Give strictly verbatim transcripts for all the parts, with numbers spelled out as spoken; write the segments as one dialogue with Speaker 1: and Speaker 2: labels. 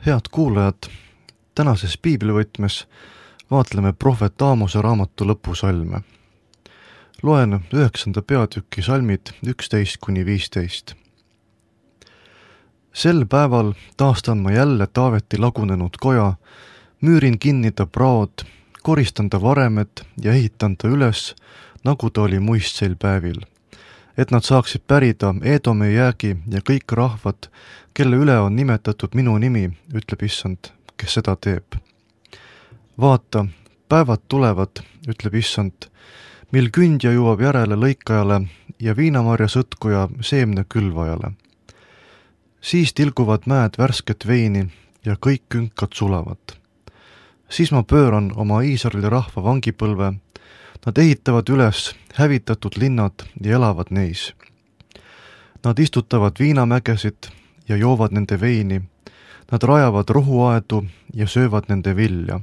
Speaker 1: Head kuulajad, tänases piiblivõtmes vaatleme prohvet Aamose raamatu lõpusalme. Loen üheksanda peatüki salmid üksteist kuni viisteist. Sel päeval taastan ma jälle Taaveti lagunenud koja, müürin kinni ta praod, koristan ta varemed ja ehitan ta üles, nagu ta oli muistseil päevil, et nad saaksid pärida Eedome jäägi ja kõik rahvad, kelle üle on nimetatud minu nimi, ütleb issand, kes seda teeb. Vaata, päevad tulevad, ütleb issand, mil kündja jõuab järele lõikajale ja viinamarja sõtkuja seemne külvajale. Siis tilguvad mäed värsket veini ja kõik künkad sulavad. Siis ma pööran oma Iisraeli rahva vangipõlve, nad ehitavad üles hävitatud linnad ja elavad neis. Nad istutavad viinamägesid ja joovad nende veini, nad rajavad rohuaedu ja söövad nende vilja.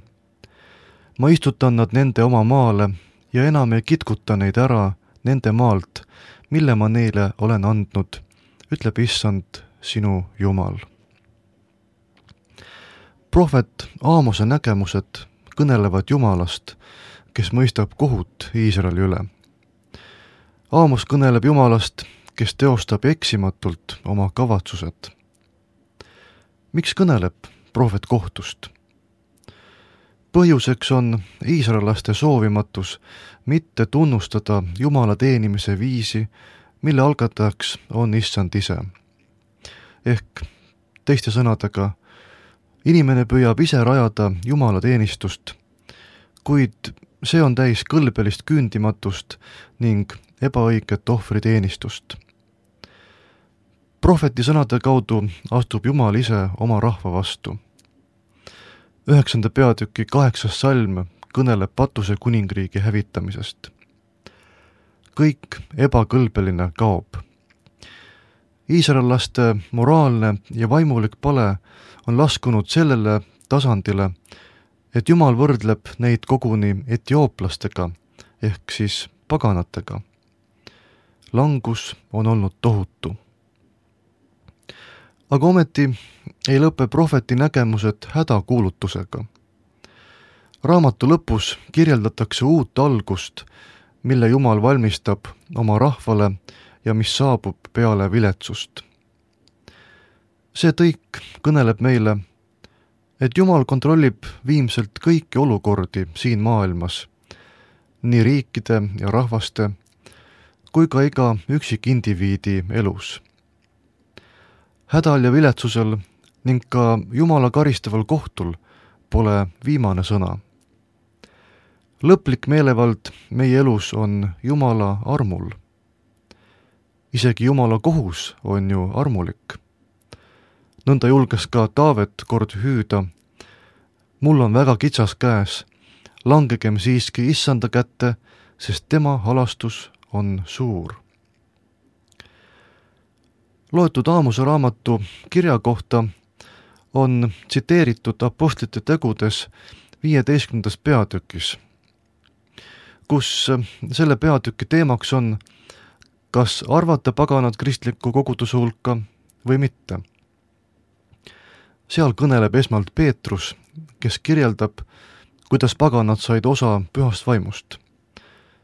Speaker 1: Ma istutan nad nende oma maale ja enam ei kitkuta neid ära nende maalt, mille ma neile olen andnud, ütleb issand, sinu Jumal. Prohvet Aamose nägemused kõnelevad Jumalast, kes mõistab kohut Iisraeli üle. Aamos kõneleb Jumalast, kes teostab eksimatult oma kavatsused. Miks kõneleb prohvet kohtust? Põhjuseks on iisraellaste soovimatus mitte tunnustada Jumala teenimise viisi, mille algatajaks on issand ise. Ehk teiste sõnadega, inimene püüab ise rajada Jumala teenistust, kuid see on täis kõlbelist küündimatust ning ebaõiget ohvriteenistust. Prohveti sõnade kaudu astub Jumal ise oma rahva vastu. Üheksanda peatüki kaheksas salm kõneleb Patuse kuningriigi hävitamisest. Kõik ebakõlbeline kaob. Iisraellaste moraalne ja vaimulik pale on laskunud sellele tasandile, et Jumal võrdleb neid koguni etiooplastega ehk siis paganatega. Langus on olnud tohutu. Aga ometi ei lõpe prohveti nägemused hädakuulutusega. Raamatu lõpus kirjeldatakse uut algust, mille Jumal valmistab oma rahvale ja mis saabub peale viletsust. See tõik kõneleb meile, et Jumal kontrollib viimselt kõiki olukordi siin maailmas, nii riikide ja rahvaste, kui ka iga üksik indiviidi elus. Hädal ja viletsusel ning ka Jumala karistaval kohtul pole viimane sõna. Lõplik meelevald meie elus on Jumala armul. Isegi Jumala kohus on ju armulik. Nõnda julges ka Taavet kord hüüda, mul on väga kitsas käes, langegem siiski issanda kätte, sest tema halastus on suur. Loetud Aamose raamatu kirja kohta on tsiteeritud apostlite tegudes viieteistkümnendas peatükis, kus selle peatüki teemaks on, kas arvata paganad kristliku koguduse hulka või mitte. Seal kõneleb esmalt Peetrus, kes kirjeldab, kuidas paganad said osa pühast vaimust.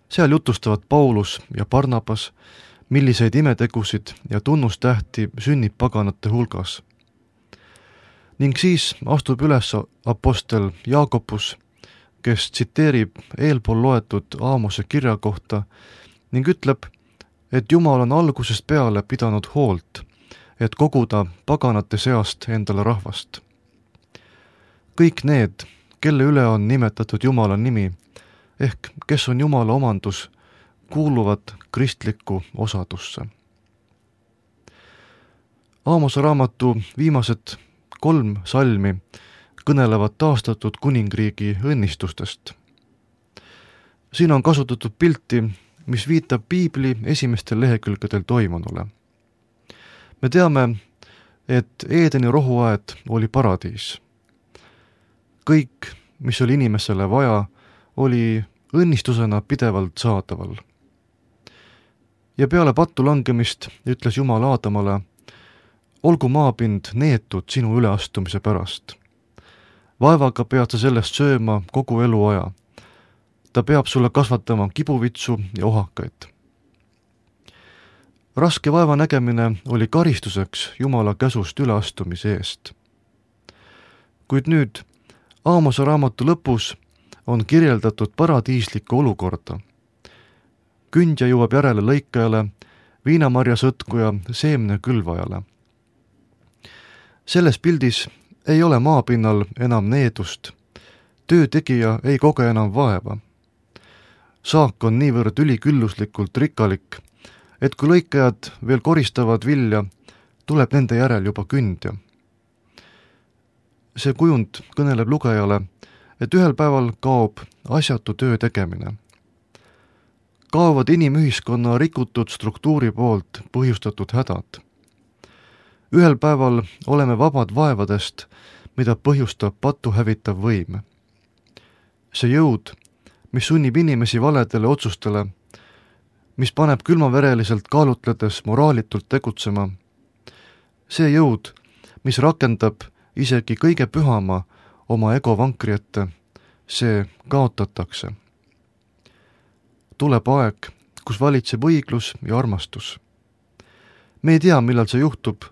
Speaker 1: Seal jutustavad Paulus ja Barnabas, milliseid imetegusid ja tunnustähti sünnib paganate hulgas. Ning siis astub üles apostel Jaakobus, kes tsiteerib eelpool loetud Aamose kirja kohta ning ütleb, et Jumal on algusest peale pidanud hoolt, et koguda paganate seast endale rahvast. Kõik need, kelle üle on nimetatud Jumala nimi, ehk kes on Jumala omandus, kuuluvad kristlikku osadusse. Aamose raamatu viimased kolm salmi kõnelevad taastatud kuningriigi õnnistustest. Siin on kasutatud pilti, mis viitab piibli esimestel lehekülgedel toimunule. Me teame, et Eedeni rohuaed oli paradiis. Kõik, mis oli inimesele vaja, oli õnnistusena pidevalt saadaval. Ja peale pattu langemist ütles Jumal Aadamale, olgu maapind neetud sinu üleastumise pärast. Vaevaga pead sa sellest sööma kogu eluaja. Ta peab sulle kasvatama kibuvitsu ja ohakaid. Raske vaeva nägemine oli karistuseks Jumala käsust üleastumise eest. Kuid nüüd, Aamose raamatu lõpus on kirjeldatud paradiislikku olukorda. Kündja jõuab järele lõikajale, viinamarja sõtkuja seemne külvajale. Selles pildis ei ole maapinnal enam needust, töö tegija ei koge enam vaeva. Saak on niivõrd ülikülluslikult rikkalik, et kui lõikajad veel koristavad vilja, tuleb nende järel juba kündja. See kujund kõneleb lugejale, et ühel päeval kaob asjatu töö tegemine. Kaovad inimühiskonna rikutud struktuuri poolt põhjustatud hädad. Ühel päeval oleme vabad vaevadest, mida põhjustab patu hävitav võim. See jõud, mis sunnib inimesi valedele otsustele, mis paneb külmavereliselt kaalutledes moraalitult tegutsema, see jõud, mis rakendab isegi kõige pühama oma ego vankri ette, see kaotatakse. Tuleb aeg, kus valitseb õiglus ja armastus. Me ei tea, millal see juhtub,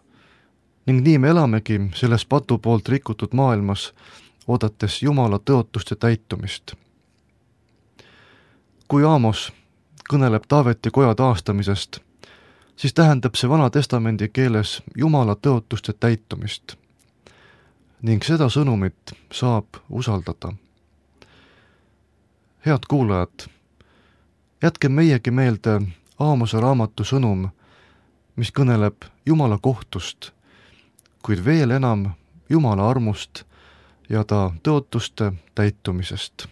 Speaker 1: ning nii me elamegi selles patu poolt rikutud maailmas, oodates Jumala tõotuste täitumist. Kui Aamos kõneleb Taaveti koja taastamisest, siis tähendab see Vana Testamendi keeles Jumala tõotuste täitumist. Ning seda sõnumit saab usaldada. Head kuulajad, jätke meiegi meelde Aamose raamatu sõnum, mis kõneleb Jumala kohtust, kuid veel enam Jumala armust ja ta tõotuste täitumisest.